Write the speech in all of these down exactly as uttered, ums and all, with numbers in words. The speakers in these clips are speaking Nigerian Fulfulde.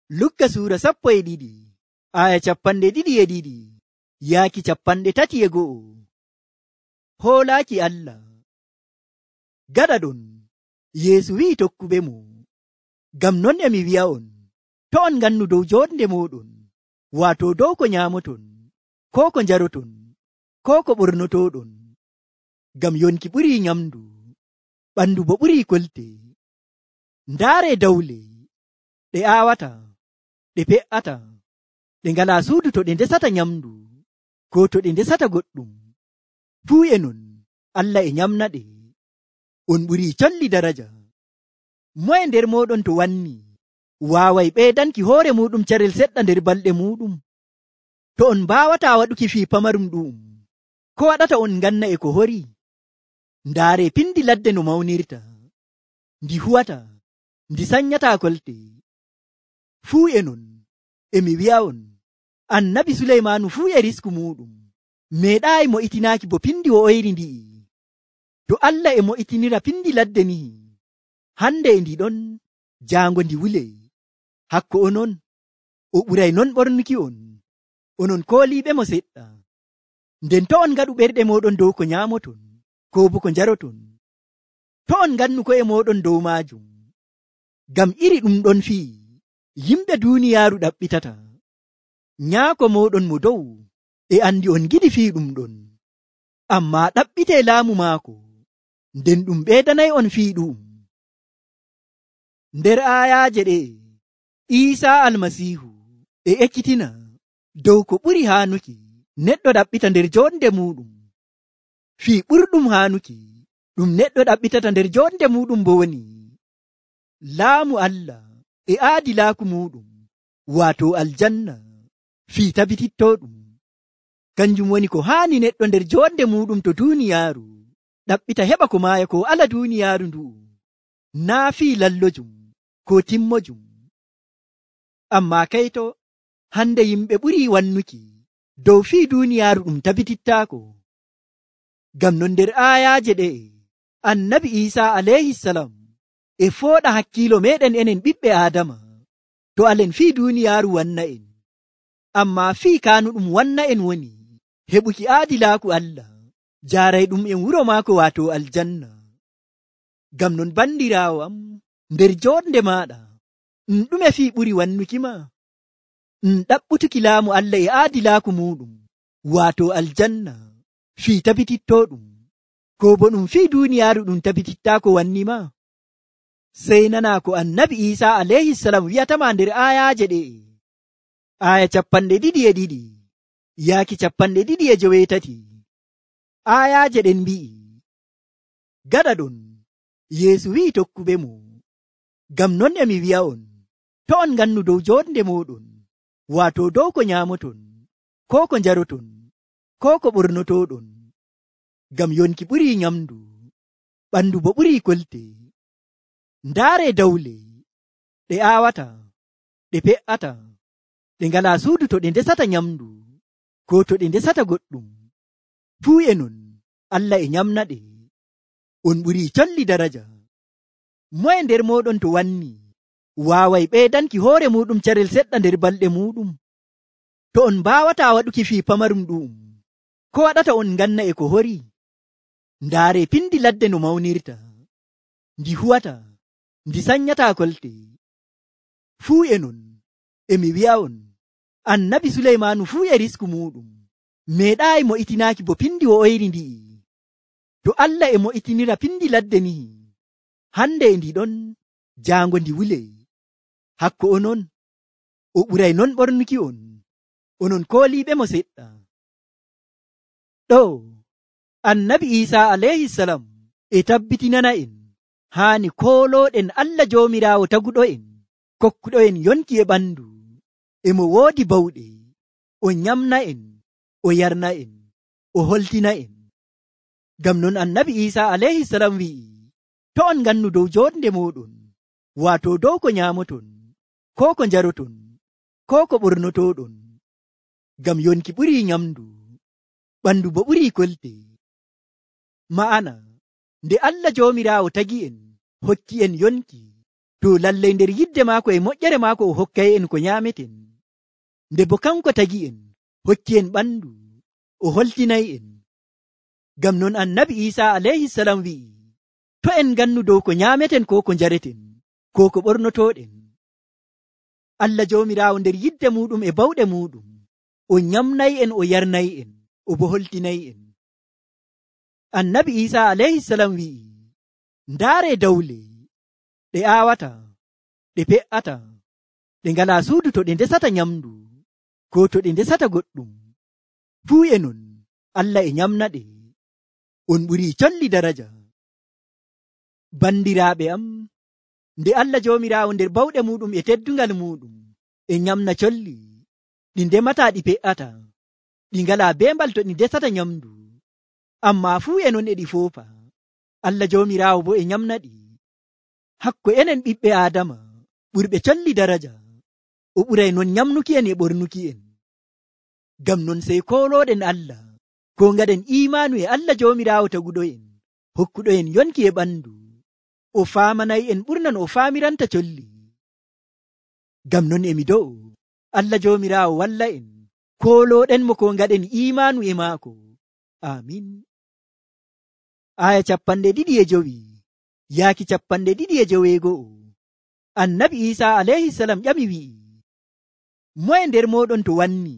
Lukka suura sappo e ɗiɗi aya capanɗe ɗiɗi e ɗiɗi yaaki capanɗe tati e go'o. Hoolaaki Allah. Gaɗa ɗon Yeesu wi'i tokkuɓe mo, ngam non e mi wi'a'on, to on ngannu dow jonde moɗon, waato dow ko nyaamoton, ko ko njaroton, ko ko ɓornotoɗon. Ngam yonki ɓurii nyamdu, ɓandu bo ɓurii kolte. Ndaare dawle ɗe aawata, ɗe pe'ata, ɗe ngalaa suudu to ɗe ndesata nyamdu, ko to ɗe ndesata goɗɗum. Fuu e non Allah e nyamnaɗe. On ɓurii colli daraja. Moye nder mooɗon to wanni waaway ɓeydanki hoore muɗum carel seɗɗa nder balɗe muɗum? To on mbaawataa waɗuki fii pamarum ɗu'um, ko waɗata on nganna e ko hori? Ndaare pindi ladde no mawnirta, ndi huwata, ndi sanyataa kolte. Fuu e non e mi wi'a'on, annabi Suleymaanu fuu e risku muɗum meeɗaayi mo'itinaaki bo pindi o oyri ndi'i. To Allah e mo'itinira pindi ladde nihi, hande e ndi ɗon jaango ndi wule. Hakko onon o ɓuray non ɓornuki on, onon kooliiɓe mo seɗɗa. Nden to on ngaɗu ɓerɗe moɗon dow ko nyaamoton, ko bo ko njaroton, to on ngannu ko'e moɗon dow maajum. Ngam iri ɗum ɗon fii yimɓe duuniyaaru ɗaɓɓitata. Nyaako moɗon mo dow e andi on giɗi fii ɗum ɗon, ammaa ɗaɓɓitee laamu maako, nden ɗum ɓeydanay on fii ɗu'um. Nder aayaaje ɗe Iisaa Almasiihu e ekkitina dow ko ɓuri haanuki neɗɗo ɗaɓɓita nder jonde muɗum. Fii ɓurɗum haanuki ɗum neɗɗo ɗaɓɓitata nder jonde muɗum bo woni laamu Allah e aadilaaku muɗum, waato aljanna fii tabitittoɗum. Kanjum woni ko haani neɗɗo nder jonde muɗum to duuniyaaru ɗaɓɓita heɓa ko maaya ko ala duuniyaaru ndu'u, naa fii lallojum ko timmojum. Ammaa kayto hande yimɓe ɓurii wannuki dow fii duuniyaaru ɗum tabitittaako. Ngam non nder aayaaje ɗe annabi Iisaa alayhisalam e fooɗa hakkiilo meɗen enen ɓiɓɓe Aadama, to alen fii duuniyaaru wanna en. Ammaa fii kaanuɗum wanna en woni heɓuki aadilaaku Allah, jaaray ɗum en wuro maako waato aljanna. Ngam non bandiraawo am, nder jonde maaɗa ɗum ɗume fii ɓuri wannuki ma? Ɗum ɗaɓɓutuki laamu Allah e aadilaaku muɗum, waato aljanna fii tabitittoɗum, ko bo ɗum fii duuniyaaru ɗum tabitittaako wanni ma? Sey nanaa ko annabi Iisaa alayhisalam wi'atama nder aayaaje ɗe aya capanɗe ɗiɗi e ɗiɗi yaaki capanɗe ɗiɗi e joweetati. Aayaaje ɗen mbi'i, gaɗa ɗon Yeesu wi'i tokkuɓe mo, ngam non e mi wi'a'on, to on ngannu dow jonde moɗon, waato dow ko nyaamoton, ko ko njaroton, ko ko ɓornotoɗon. Ngam yonki ɓurii nyamdu, ɓandu bo ɓurii kolte. Ndaare dawle ɗe aawata, ɗe pe'ata, ɗe ngalaa suudu to ɗe ndesata nyamdu, ko to ɗe ndesata goɗɗum. Fuu e non Allah e nyamnaɗe. On ɓurii colli daraja. Moye nder moɗon to wanni waaway ɓeydanki hoore muɗum carel seɗɗa nder balɗe muɗum? To on mbaawataa waɗuki fii pamarum ɗu'um, ko waɗata on nganna e ko hori? Ndaare pindi ladde no mawnirta, ndi huwata, ndi sanyataa kolte. Fuu e non e mi wi'a'on, annabi Suleymaanu fuu e risku muɗum meeɗaayi mo'itinaaki bo pindi o oyri ndi'i. To Allah e mo'itinira pindi ladde nihi, hande e ndi ɗon jaango ndi wule. Hakko onon o ɓuray non ɓornuki on, onon kooliiɓe mo seɗɗa. Ɗo annabi Iisaa alayhisalam e tabbitinana en haani koolooɗen Allah Joomiraawo taguɗo'en, kokkuɗo'en yonki e ɓandu, e mo woodi bawɗe, o nyamna en, o yarna en, o holtina en. Ngam non annabi Iisaa alayhisalam wi'i, to on ngannu dow jonde moɗon, waato dow ko nyaamoton, ko ko njaroton, ko ko ɓornotoɗon. Ngam yonki ɓurii nyamdu, ɓandu bo ɓurii kolte. Ma'ana nde Allah Joomiraawo tagi en hokki en yonki, to lallai nder yidde maako e moƴƴere maako o hokkay en ko nyaameten, nde bo kanko tagi en hokki en ɓandu o holtinay en. Ngam non annabi Isa alayhi salam wi'i, to en gannu dow ko nyaameten ko ko njareten ko ko ɓornotoɗen. Allah joomiraawo nder yidde muɗum e bawɗe muɗum o nyamnay en o yarnay en o bo holtinay en. Annabi Isa alayhi salam wi'i, ndaare dawle ɗe aawata ɗe pe'ata ɗe ngala suudu to ɗe ndesata nyamdu ko to ɗe ndesata goɗɗum, fuu e non Allah e nyamna ɗe. On ɓuri colli daraja. Bandiraaɓe am, nde Allah joomiraawo nder bawɗe muɗum e teddungal muɗum e nyamna colli ɗi ndemata ɗi pe'ata, ɗi ngala beembal to ɗi ndesata nyamdu, amma fuu e non e ɗi foofa, Allah joomiraawo bo e nyamna ɗi. Hakko enen ɓiɓɓe Aadama ɓurɓe colli daraja, o ɓuray non nyamnuki en e ɓornuki en. Ngam non sey koolooɗen Allah, ko ngaɗen imaanu e Allah joomiraawo taguɗo en, hokkuɗo en yonki e ɓandu, o faamanay en ɓurnan o faamiranta colli. Ngam non emi do'o Allah joomiraawo walla en, koolooɗen mo ko ngaɗen imaanu e maako. Amin. Aya capanɗe ɗiɗi e jowi yaaki capanɗe ɗiɗi e joweego'o. Annabi Isa alayhi salam ƴami wi'i, moye nder moɗon to wanni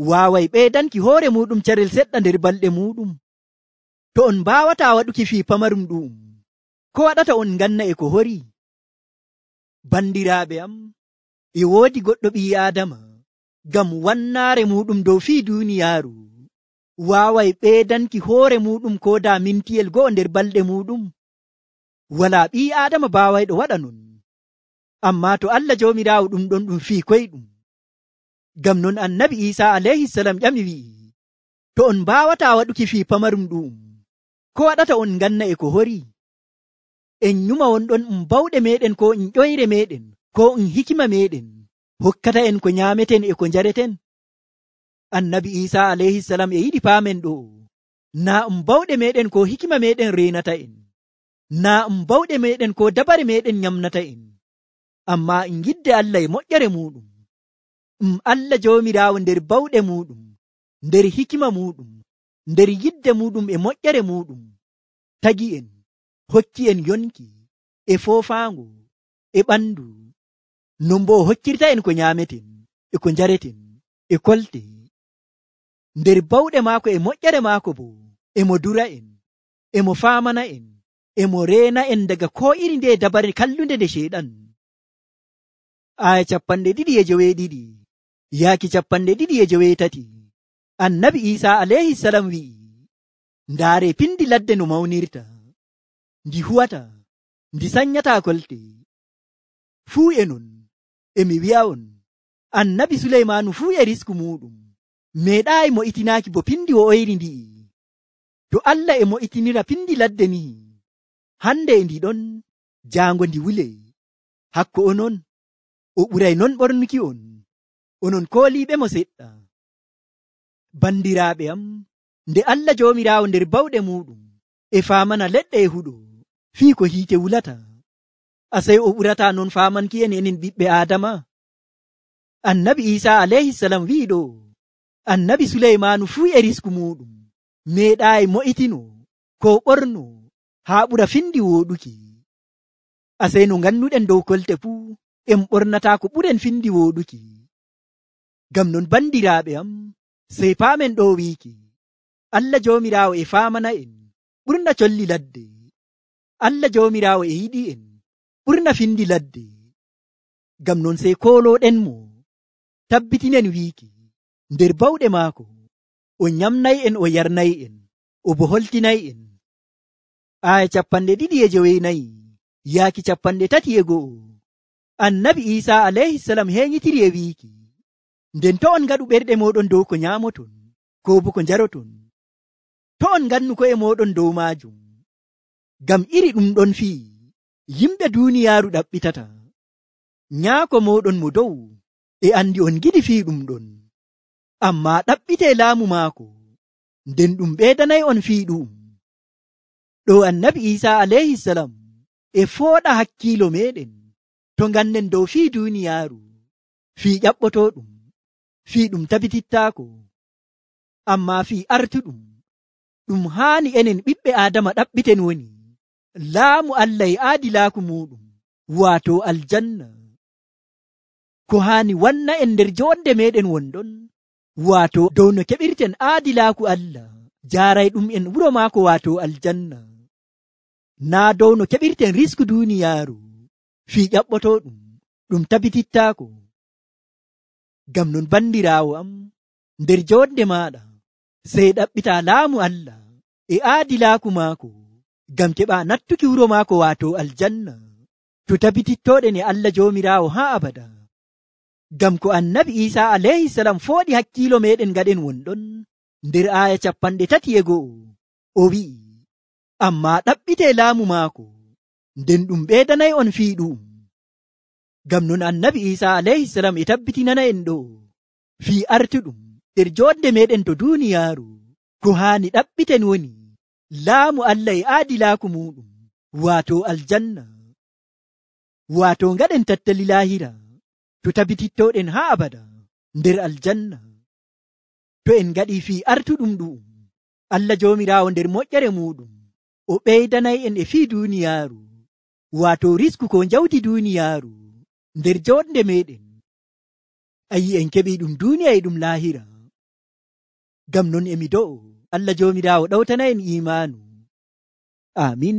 waaway ɓeydanki hoore muɗum carel seɗɗa nder balɗe muɗum? To on mbaawataa waɗuki fii pamarum ɗu'um, ko waɗata on nganna e ko hori? Bandiraaɓe am, e woodi goɗɗo ɓii Aadama ngam wannaare muɗum dow fii duuniyaaru waaway ɓeydanki hoore muɗum ko daa mintiyel go'o nder balɗe muɗum? Walaa ɓii Aadama baawayɗo waɗa non. Ammaa to Allah joomiraawo ɗum ɗon ɗum fii koyɗum. Ngam non annabi Isa alayhi salam ƴami wi'i, to on mbaawataa waɗuki fii pamarum ɗu'um, ko waɗata on nganna e ko hori? En nyuma wonɗon um bawɗe meɗen ko um ƴoyre meɗen ko um hikima meɗen hokkata en ko nyaameten e ko njareten? Annabi Isa alayhi salam e yiɗi paamen ɗo, naa um bawɗe meɗen ko hikima meɗen reenata en, naa um bawɗe meɗen ko dabare meɗen nyamnata en, amma en yidde Allah e moƴƴere muɗum. Um Allah joomiraawo nder bawɗe muɗum, nder hikima muɗum, nder yidde muɗum e moƴƴere muɗum tagi en, hokki en yonki e foofaango e ɓandu, non bo o hokkirta en ko nyaameten e ko njareten e kolte. Nder bawɗe maako e moƴƴere maako bo emo dura en, emo faamana en, emo reena en daga ko iri nde dabare kallunde nde Ceyɗan. Aya capanɗe ɗiɗi e joweeɗiɗi yaaki capanɗe ɗiɗi e joweetati. Annabi Isa alayhi salam wi'i, ndaare pindi ladde no mawnirta, ndi huwata, ndi sanyata kolte. Fuu e non emi wi'a'on, annabi Suleymaanu fuu e risku muɗum meeɗaayi mo itinaaki bo pindi o oyri ndi'i. To Allah e mo itinira pindi ladde ni, hande e ndi ɗon jaango ndi wule. Hakko onon o ɓuray non ɓornuki on, onon kooliiɓe mo seɗɗa. Bandiraaɓe am, nde Allah joomiraawo nder bawɗe muɗum e faamana leɗɗe e huɗo fii ko hiite wulata, asay o ɓurata non faamanki en enen ɓiɓɓe Aadama. Annabi Isa alayhi salam wi'i ɗo, annabi Suleymaanu fuu e risku muɗum meeɗaayi mo'itino ko ɓorno haa ɓura findi wooɗuki. Asay no ngannuɗen dow kolte fuu en ɓornataa ko ɓuren findi wooɗuki. Ngam non bandiraaɓe am, sey paamen ɗo wiiki, Allah joomiraawo e faamana en ɓurna colli ladde. Allah joomiraawo e yiɗi en ɓurna findi ladde. Ngam non sey koolooɗen mo, tabbitinen wiiki nder bawɗe maako o nyamnay en o yarnay en o bo holtinay en. Aya capanɗe ɗiɗi e joweenayi yaaki capanɗe tati e go'o. Annabi Isa alayhi salam heeñitiri e wiiki, nden to on ngaɗu ɓerɗe moɗon dow ko nyaamoton ko bo ko njaroton, to on ngannu ko'e moɗon dow maajum, ngam iri ɗum ɗon fii yimɓe duuniyaaru ɗaɓɓitata. Nyaako moɗon mo dow e andi on giɗi fii ɗum ɗon, amma ɗaɓɓite laamu maako, nden ɗum ɓeydanay on fii ɗum. Ɗo annabi Isa alayhi salam e fooɗa hakkiilo meɗen to ngannen dow fii duuniyaaru fii ƴaɓɓotooɗum fii ɗum tabitittaako, ammaa fii artuɗum ɗum haani enen ɓiɓɓe aadama ɗaɓɓiten woni laamu Allah e aadilaaku muuɗum, waato aljanna. Ko haani wanna en nder jonde meɗen wonɗon, waato dow no keɓirten aadilaaku Allah jaarayɗum en wuro maako waato aljanna, naa dow no keɓirten risku duuniyaaru fii ƴaɓɓotooɗum ɗum tabitittaako. Ngam non bandiraawo am, nder jonde maaɗa sey ɗaɓɓita laamu Allah e aadilaaku maako ngam keɓa nattuki wuro maako waato aljanna to tabitittooɗen e Allah joomiraawo haa abada. Ngam ko annabi Isa alayhi salam fooɗi hakkiilo meɗen gaɗen wonɗon nder aaya capanɗe tati e go'o, o wi'i, ammaa ɗaɓɓite laamu maako nden ɗum ɓeydanay on fii ɗu'um. Ngam non annabi Isa alayhi salam e tabbitinana en ɗo fii artuɗum nder jonde meɗen to duuniyaaru ko haani ɗaɓɓiten woni laamu Allah e aadilaaku muɗum waato aljanna, waato ngaɗen tattali laahira to tabitittoɗen haa abada nder aljanna. To en ngaɗi fii artuɗum ɗu'um, Allah joomiraawo nder moƴƴere muɗum o ɓeydanay en e fii duuniyaaru waato risku ko jawdi duuniyaaru nder jonde meɗen. Ayi en keɓi ɗum duuniya e ɗum laahira. Ngam non emi do'o Allah joomiraawo ɗawtana en imaanu. Amin.